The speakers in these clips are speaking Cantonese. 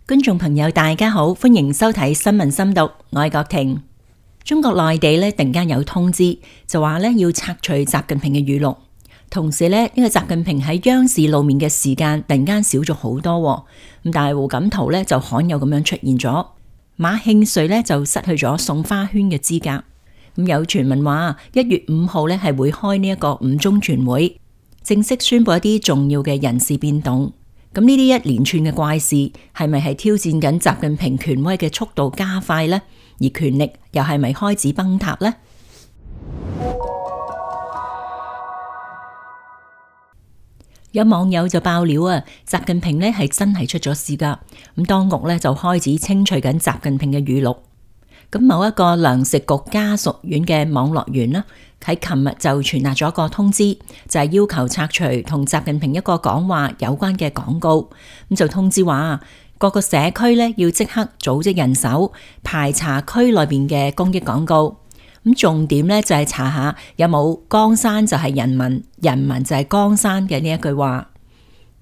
觀眾朋友大家好，歡迎收睇新聞深讀，我係郭婷。中國內地突然間有通知，就話要拆除習近平嘅語錄，同時呢個習近平喺央視露面嘅時間突然間少咗好多，咁但係胡錦濤就罕有咁樣出現咗，馬慶瑞就失去咗送花圈嘅資格。咁有傳聞話1月5號係會開呢一個5中全會，正式宣布一啲重要嘅人事變動。咁呢啲一連串嘅怪事係咪係挑戰緊習近平權威嘅速度加快呢？而權力又係咪開始崩塌呢？有網友就爆料習近平係真係出咗事噶。咁當局就開始清除緊習近平嘅語錄。咁某一個糧食局家屬院嘅網絡員啦，喺琴日就傳達咗一個通知，就係要求拆除同習近平一個講話有關嘅廣告。咁就通知話各個社區要即刻組織人手排查區內邊嘅公益廣告。咁重點就係查下有冇江山就係人民，人民就係江山嘅呢一句話。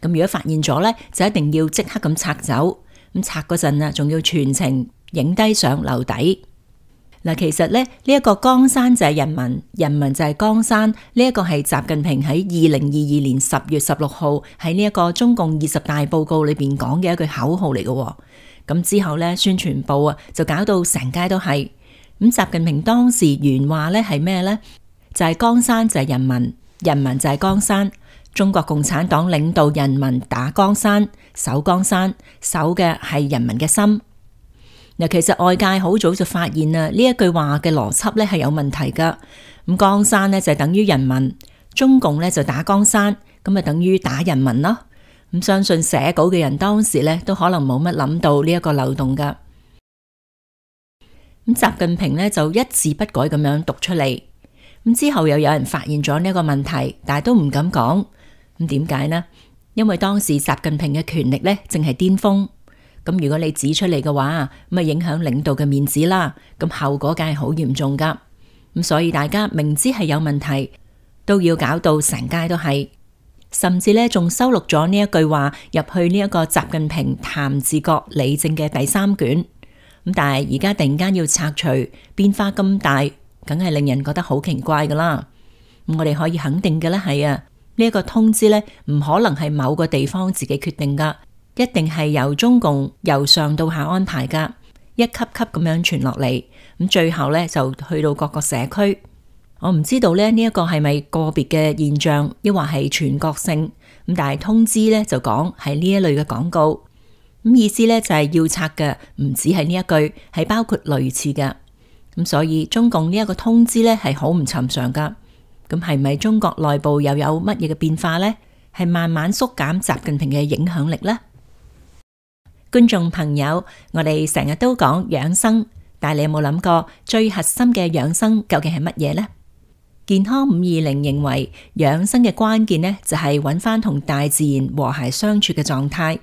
咁如果發現咗就一定要即刻咁拆走。咁拆嗰陣仲要全程影低相留底。嗱，其實呢一個江山就係人民，人民就係江山。呢一個係習近平喺2022年10月16號喺呢一個中共20大報告裏邊講嘅一句口號嚟嘅。咁之後宣傳部就搞到成街都係。咁習近平當時原話係咩呢？就係江山就係人民，人民就係江山。中國共產黨領導人民打江山，守江山，守嘅係人民嘅心。嗱，其實外界好早就發現呢一句話嘅邏輯係有問題噶。咁江山就等於人民，中共就打江山，咁等於打人民咯。咁相信寫稿嘅人當時都可能冇乜諗到呢一個漏洞噶。咁習近平就一字不改咁樣讀出嚟。咁之後又有人發現咗呢一個問題，但係都唔敢講。咁點解呢？因為當時習近平嘅權力正係巔峰。咁如果你指出嚟嘅話，咁影響領導嘅面子啦，咁後果梗係好嚴重噶。咁所以大家明知係有問題，都要搞到成街都係，甚至仲收錄咗呢一句話入去呢一個習近平談治國理政嘅第3卷。咁但係而家突然間要拆除，變化咁大，梗係令人覺得好奇怪噶啦。咁我哋可以肯定嘅係呢一個通知唔可能係某個地方自己決定噶，一定係由中共由上到下安排噶，一級級咁樣傳落嚟，咁最後就去到各個社區。我唔知道呢一個係咪個別嘅現象，抑或係全國性。咁但係通知就講係呢一類嘅廣告，咁意思就係要拆嘅，唔止係呢一句，係包括類似嘅。咁所以中共呢一個通知係好唔尋常噶。咁係咪中國內部又有乜嘢嘅變化呢？係慢慢縮減習近平嘅影響力呢？觀眾朋友，我哋成日都講養生，但係你有冇諗過最核心嘅養生究竟係乜嘢呢？健康520認為養生嘅關鍵就係揾翻同大自然和諧相處嘅狀態。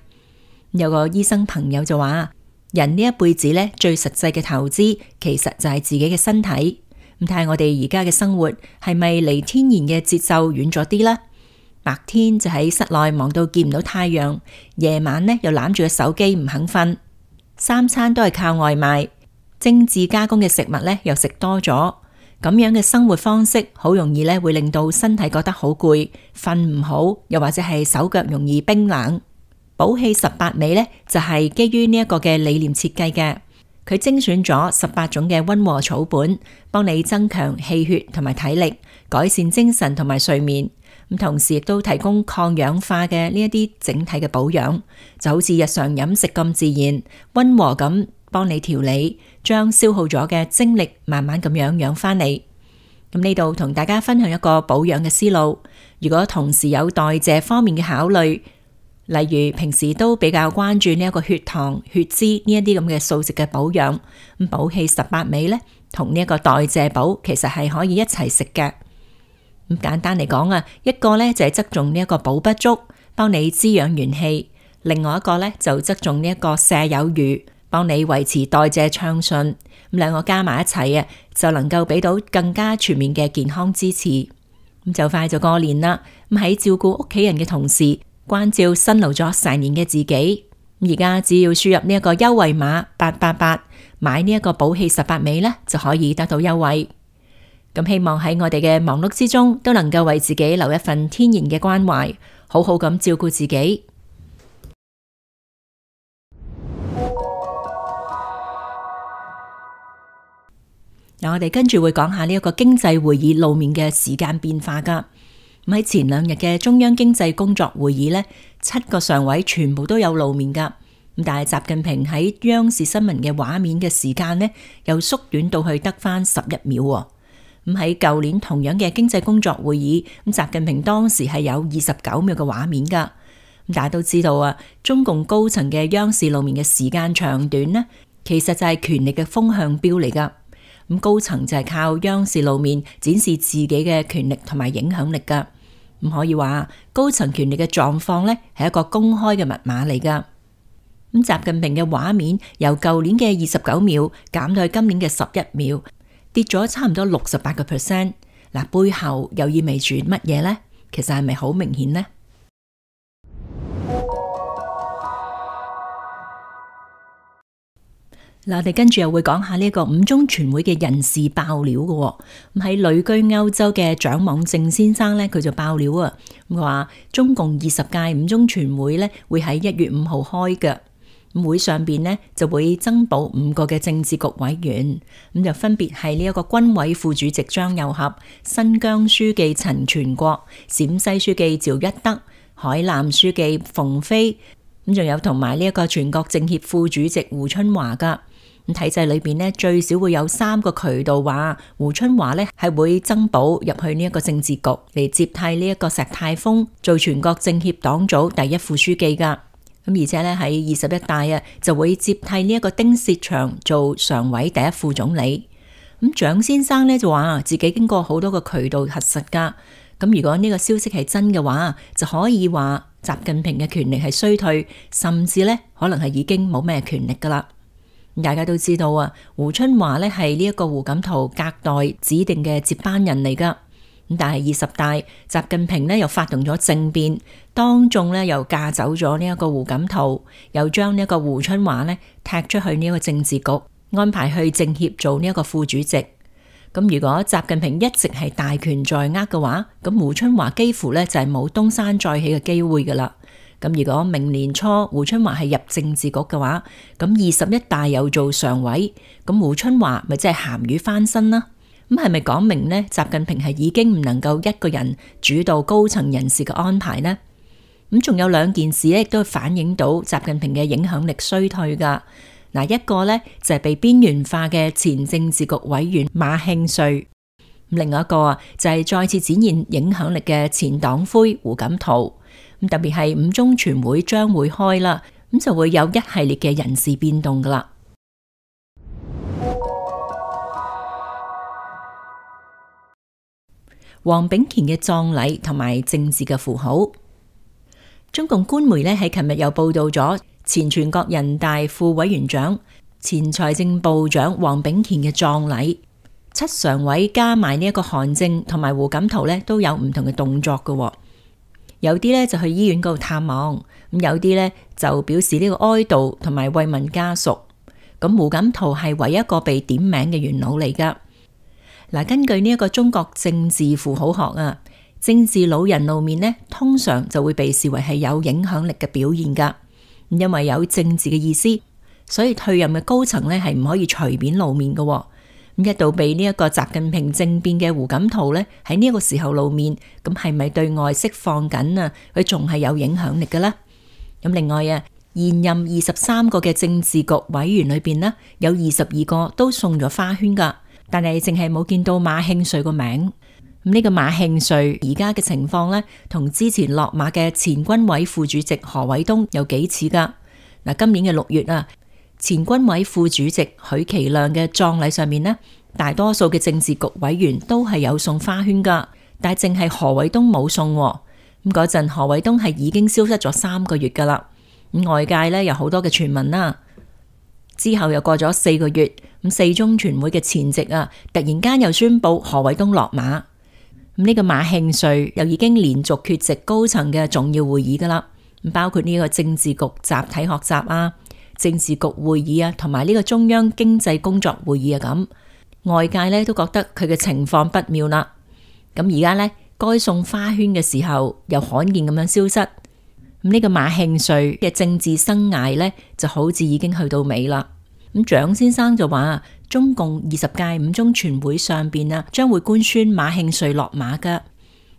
有個醫生朋友就話，人呢一輩子最實際嘅投資其實就係自己嘅身體。咁睇下我哋而家嘅生活係咪離天然嘅節奏遠咗啲呢？白天就喺室內忙到見唔到太陽，夜晚又攬住個手機唔肯瞓，3餐都係靠外賣，精緻加工嘅食物又食多咗，咁樣嘅生活方式好容易會令到身體覺得好攰，瞓唔好，又或者係手腳容易冰冷。補氣18味就係基於呢一個嘅理念設計嘅。佢精選咗18種嘅溫和草本，幫你增強氣血同埋體力，改善精神同埋睡眠。咁同時亦都提供抗氧化嘅呢一啲整體嘅保養，就好似日常飲食咁自然，溫和咁幫你調理，將消耗咗嘅精力慢慢咁樣養翻嚟。咁呢度同大家分享一個保養嘅思路。如果同時有代謝方面嘅考慮，例如平時都比較關注呢一個血糖、血脂呢一啲咁嘅素食嘅保養，咁補氣18味同呢一個代謝補其實係可以一齊食嘅。咁簡單嚟講一個就係側重呢一個補不足，幫你滋養元氣；另外一個就側重呢一個瀉有餘，幫你維持代謝暢順。咁兩個加埋一齊就能夠俾到更加全面嘅健康支持。咁就快就過年啦，咁喺照顧屋企人嘅同時，關照辛勞咗成年嘅自己，而家只要輸入呢一個優惠碼888，買呢一個寶氣18味呢，就可以得到優惠。咁希望喺我哋嘅忙碌之中，都能夠為自己留一份天然嘅關懷，好好咁照顧自己。嗱，我哋跟住會講下呢一個經濟會議露面嘅時間變化噶。咁喺前2日嘅中央經濟工作會議呢，7個常委全部都有露面噶。咁但係習近平喺央視新聞嘅畫面嘅時間呢，又縮短到去得返11秒。咁喺舊年同樣嘅經濟工作會議，咁習近平當時係有29秒嘅畫面噶。咁大家都知道啊，中共高層嘅央視露面嘅時間長短呢，其實就係權力嘅風向標嚟噶。咁高層就係靠央視露面展示自己嘅權力同埋影響力噶。咁可以話高層權力嘅狀況呢，係一個公開嘅密碼嚟噶。咁習近平嘅畫面由舊年嘅29秒減到去今年嘅11秒，跌咗差唔多68%。嗱，背後又意味住乜嘢呢？其實係咪好明顯呢？嗱，我哋跟住又會講下呢個五中全會嘅人事爆料嘅。咁喺旅居歐洲嘅蔣往正先生呢，佢就爆料啊，話中共20屆五中全會呢會喺1月5號開嘅。咁會上邊呢就會增補5個嘅政治局委員，咁就分別係呢一個軍委副主席張又俠、新疆書記陳全國、陝西書記趙一德、海南書記馮飛，咁仲有同埋呢一個全國政協副主席胡春華噶。咁體制裏邊呢，最少會有3個渠道話胡春華呢係會增補入去呢一個政治局嚟接替呢一個石泰峰做全國政協黨組第1副書記噶。咁而且呢，喺21大啊就會接替呢一個丁薛祥做常委第1副總理。咁蔣先生呢就話自己經過好多個渠道核實噶。咁如果呢個消息係真嘅話，就可以話習近平嘅權力係衰退，甚至呢可能係已經冇咩權力噶啦。大家都知道啊，胡春華呢係呢一個胡錦濤隔代指定嘅接班人嚟噶。咁但係20大，習近平呢又發動咗政變，當眾呢又架走咗呢一個胡錦濤，又將呢一個胡春華呢踢出去呢一個政治局，安排去政協做呢一個副主席。咁如果習近平一直係大權在握嘅話，咁胡春華幾乎呢就係冇東山再起嘅機會噶啦。咁如果明年初胡春華係入政治局嘅話，咁21大又做常委，咁胡春華咪即係鹹魚翻身啦？咁係咪講明呢？習近平係已經唔能夠一個人主導高層人事嘅安排呢？咁仲有2件事咧，亦都反映到習近平嘅影響力衰退噶。嗱，一個呢就係被邊緣化嘅前政治局委員馬慶瑞，另外一個啊就係再次展現影響力嘅前黨魁胡錦濤。咁特別係五中全會將會開啦，咁就會有一系列嘅人事變動噶啦。黃炳乾嘅葬禮同埋政治嘅符號，中共官媒呢喺琴日又報道咗前全國人大副委員長、前財政部長黃炳乾嘅葬禮，7常委加埋呢一個韓正同埋胡錦濤呢都有唔同嘅動作噶。有啲呢就去醫院嗰度探望，咁有啲呢就表示呢個哀悼同埋慰問家屬。咁胡錦濤係唯一一個被點名嘅元老嚟噶。嗱，根據呢一個中國政治符號學啊，政治老人露面呢，通常就會被視為係有影響力嘅表現噶。因為有政治嘅意思，所以退任嘅高層呢係唔可以隨便露面噶。咁一度被呢一個習近平政變嘅胡錦濤呢，喺呢一個時候露面，咁係咪對外釋放緊啊？佢仲係有影響力嘅呢？咁另外啊，現任23個嘅政治局委員裏邊呢，有22個都送咗花圈噶，但係淨係冇見到馬慶瑞個名。咁呢個馬慶瑞而家嘅情況呢，同之前落馬嘅前軍委副主席何偉東有幾似噶。嗱，今年嘅6月啊，前軍委副主席許其亮嘅葬禮上面呢，大多數嘅政治局委員都係有送花圈噶，但係淨係何偉東冇送。咁嗰陣何偉東係已經消失咗3個月噶啦。咁外界呢有好多嘅傳聞啦。之後又過咗4個月，咁4中全會嘅前夕啊，突然間又宣布何偉東落馬。咁呢個馬慶瑞又已經連續缺席高層嘅重要會議噶啦。包括呢個政治局集體學習啊、政治局會議啊，同埋呢個中央經濟工作會議啊咁。外界呢都覺得佢嘅情況不妙啦。咁而家呢，該送花圈嘅時候又罕見咁樣消失。咁呢個馬慶瑞嘅政治生涯呢，就好似已經去到尾啦。咁蔣先生就話，中共20屆五中全會上邊啊，將會官宣馬慶瑞落馬噶。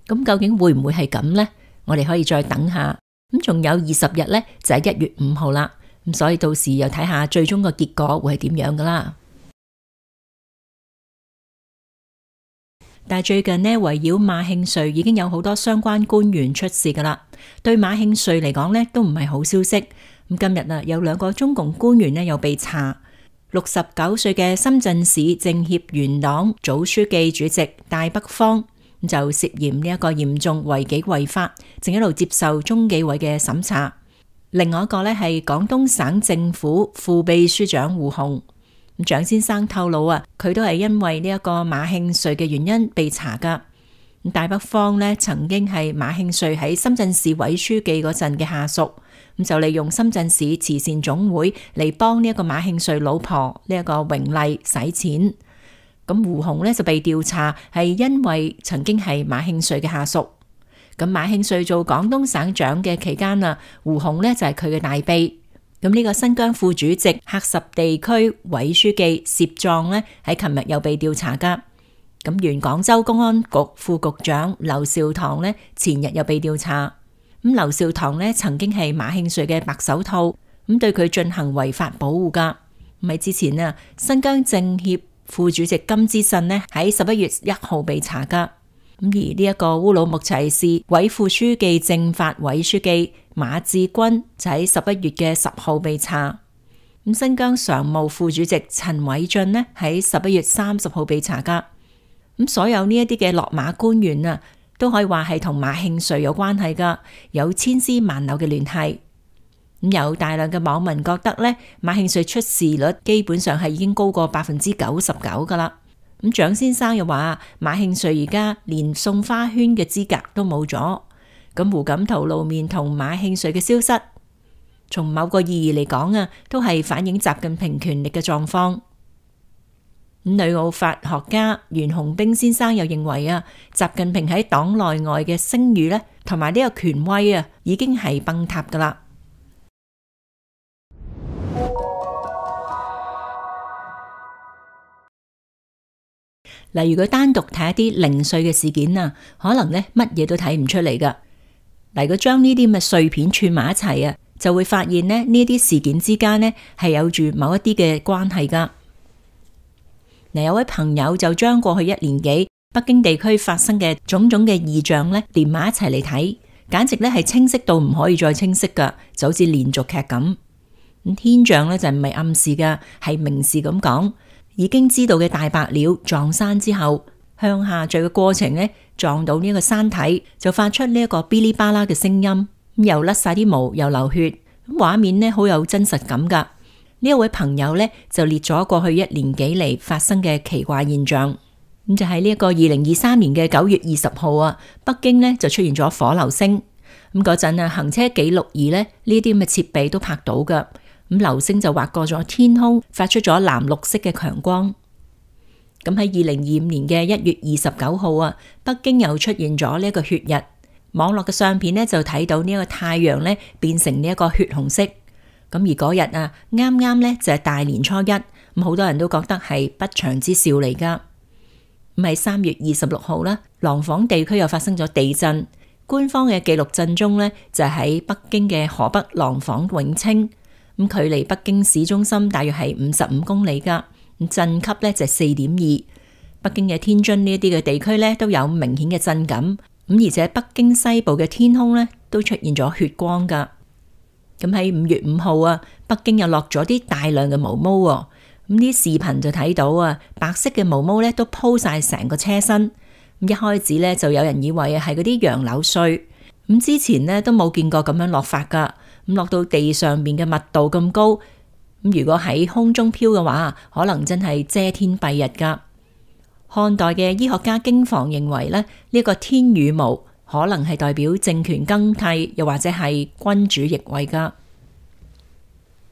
咁究竟會唔會係咁呢？我哋可以再等下。咁仲有20日呢，就係1月5號啦。咁所以到時又睇下最終個結果會係點樣噶啦。但係最近呢，圍繞馬慶瑞已經有好多相關官員出事噶啦。對馬慶瑞嚟講呢，都唔係好消息。咁今日啊，有2個中共官員呢又被查。69歲嘅深圳市政協原黨組書記主席戴北方就涉嫌呢一個嚴重違紀違法，正喺度接受中紀委嘅審查。另外一個呢係廣東省政府副秘書長胡紅。蔣先生透露啊，佢都係因為呢一個馬慶瑞嘅原因被查噶。戴北方呢曾經係馬慶瑞喺深圳市委書記嗰陣嘅下屬，咁就利用深圳市慈善總會嚟幫呢一個馬慶瑞老婆呢一個榮麗洗錢。咁胡紅呢就被調查係因為曾經係馬慶瑞嘅下屬。咁馬慶瑞做廣東省長嘅期間啊，胡紅呢就係佢嘅大秘。咁呢個新疆副主席喀什地區委書記薛壯呢喺琴日又被調查噶。咁原廣州公安局副局長劉兆棠呢前日又被調查。咁劉兆棠呢曾經係馬慶瑞嘅白手套，咁對佢進行違法保護噶。咁喺之前啊，新疆政協副主席金之信呢喺11月1號被查噶。咁而呢一個烏魯木齊市委副書記政法委書記馬志軍就喺11月嘅10號被查。咁新疆常務副主席陳偉俊呢喺11月30號被查噶。咁所有呢一啲嘅落馬官員啊，都可以話係同馬慶瑞有關係噶，有千絲萬縷嘅聯繫。咁有大量嘅網民覺得呢，馬慶瑞出事率基本上係已經高過99%噶啦。咁蔣先生又話，馬慶瑞而家連送花圈嘅資格都冇咗。咁胡錦濤露面同馬慶瑞嘅消失，從某個意義嚟講啊，都係反映習近平權力嘅狀況。女奧法學家袁洪兵先生又認為啊，習近平喺黨內外嘅聲譽呢，同埋呢個權威啊，已經係崩塌噶啦。例如佢單獨睇一啲零碎嘅事件啊，可能呢乜嘢都睇唔出嚟噶。例如佢將呢啲咁嘅碎片串埋一齊啊，就會發現呢啲事件之間呢係有住某一啲嘅關係噶。有位朋友就將過去1年幾北京地區發生嘅種種嘅異象呢連埋一齊嚟睇，簡直呢係清晰到唔可以再清晰噶，就好似連續劇咁。咁天象呢就唔係暗示噶，係明示咁講。已經知道嘅大白鳥撞山之後，向下墜嘅過程呢，撞到呢一個山體，就發出呢一個嗶哩吧啦嘅聲音，又甩晒啲毛，又流血，畫面呢好有真實感噶。呢一位朋友呢，就列咗過去1年幾嚟發生嘅奇怪現象。咁就喺呢一個2023年嘅9月20號啊，北京呢就出現咗火流星。咁嗰陣啊，行車記錄儀呢啲咁嘅設備都拍到噶。咁流星就劃過咗天空，發出咗藍綠色嘅強光。咁喺2025年嘅1月29號啊，北京又出現咗呢一個血日。網絡嘅相片呢就睇到呢一個太陽呢變成呢一個血紅色。咁而嗰日啊，啱啱呢就係大年初一，咁好多人都覺得係不祥之兆嚟噶。咁喺3月26號啦，廊坊地區又發生咗地震。官方嘅記錄震中呢就喺北京嘅河北廊坊永清。咁距離北京市中心大約係55公里噶，咁震級呢就係4.2。北京嘅天津呢一啲嘅地區呢都有明顯嘅震感，咁而且北京西部嘅天空呢都出現咗血光噶。咁喺5月5號啊，北京又落咗啲大量嘅毛毛喎，咁啲視頻就睇到啊，白色嘅毛毛呢都鋪晒成個車身。咁一開始呢就有人以為係嗰啲楊柳碎，咁之前呢都冇見過咁樣落法噶。咁落到地上面嘅密度咁高，咁如果喺空中飄嘅話，可能真係遮天蔽日噶。漢代嘅醫學家經房認為咧，呢個天羽毛可能係代表政權更替，又或者係君主易位噶。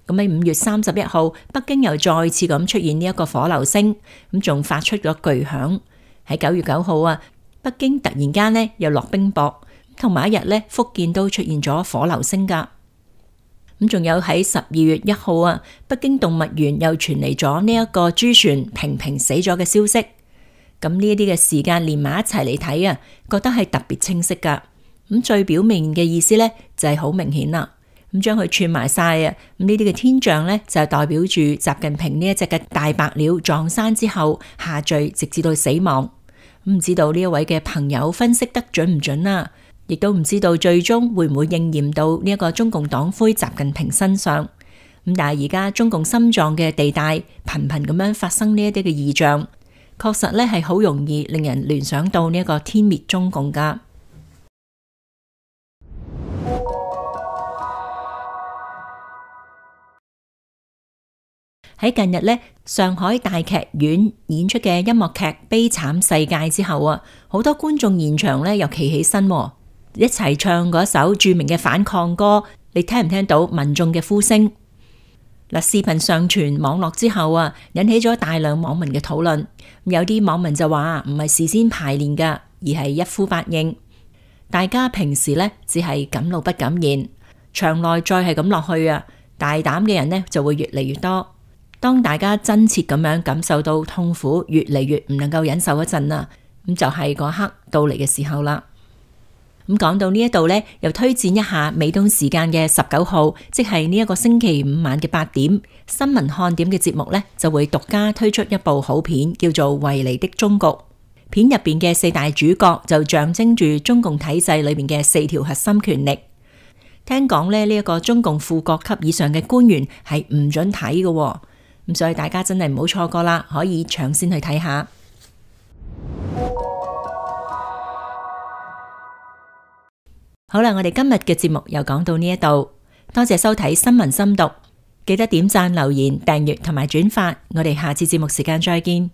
咁喺5月31號，北京又再次咁出現呢一個火流星，咁仲發出咗巨響。喺9月9號啊，北京突然間呢又落冰雹，同埋一日呢，福建都出現咗火流星噶。咁仲有喺12月1號啊，北京動物園又傳嚟咗呢一個豬船平平死咗嘅消息。咁呢一啲嘅時間連埋一齊嚟睇啊，覺得係特別清晰噶。咁最表面嘅意思呢，就係好明顯啦。咁將佢串埋晒啊，咁呢啲嘅天象呢，就代表住習近平呢一隻嘅大白鳥撞山之後下墜，直至到死亡。唔知道呢一位嘅朋友分析得準唔準啊？亦都唔知道最終會唔會應驗到呢一個中共黨魁習近平身上。咁但係而家中共心臟嘅地帶頻頻咁樣發生呢一啲嘅異象，確實呢係好容易令人聯想到呢一個天滅中共噶。喺近日呢，上海大劇院演出嘅音樂劇《悲慘世界》之後啊，好多觀眾現場呢又企起身，一齊唱嗰首著名嘅反抗歌。你聽唔聽到民眾嘅呼聲？嗱，視頻上傳網絡之後啊，引起咗大量網民嘅討論。有啲網民就話唔係事先排練噶，而係一呼百應。大家平時呢只係敢怒不敢言，場內再係咁落去啊，大膽嘅人呢就會越嚟越多。當大家真切咁樣感受到痛苦越嚟越唔能夠忍受嗰陣啊，咁就係嗰刻到嚟嘅時候啦。咁講到呢一度呢，又推薦一下美東時間嘅19號，即係呢一個星期五晚嘅8點，新聞看點嘅節目呢，就會獨家推出一部好片，叫做《維尼的終局》。片入邊嘅4大主角就象徵住中共體制裏面嘅4條核心權力。聽講呢一個中共副國級以上嘅官員係唔准睇嘅。咁所以大家真係唔好錯過啦，可以搶先去睇下。好啦，我哋今日嘅節目又講到呢一度，多謝收睇新聞深讀，記得點讚、留言、訂閱同埋轉發，我哋下次節目時間再見。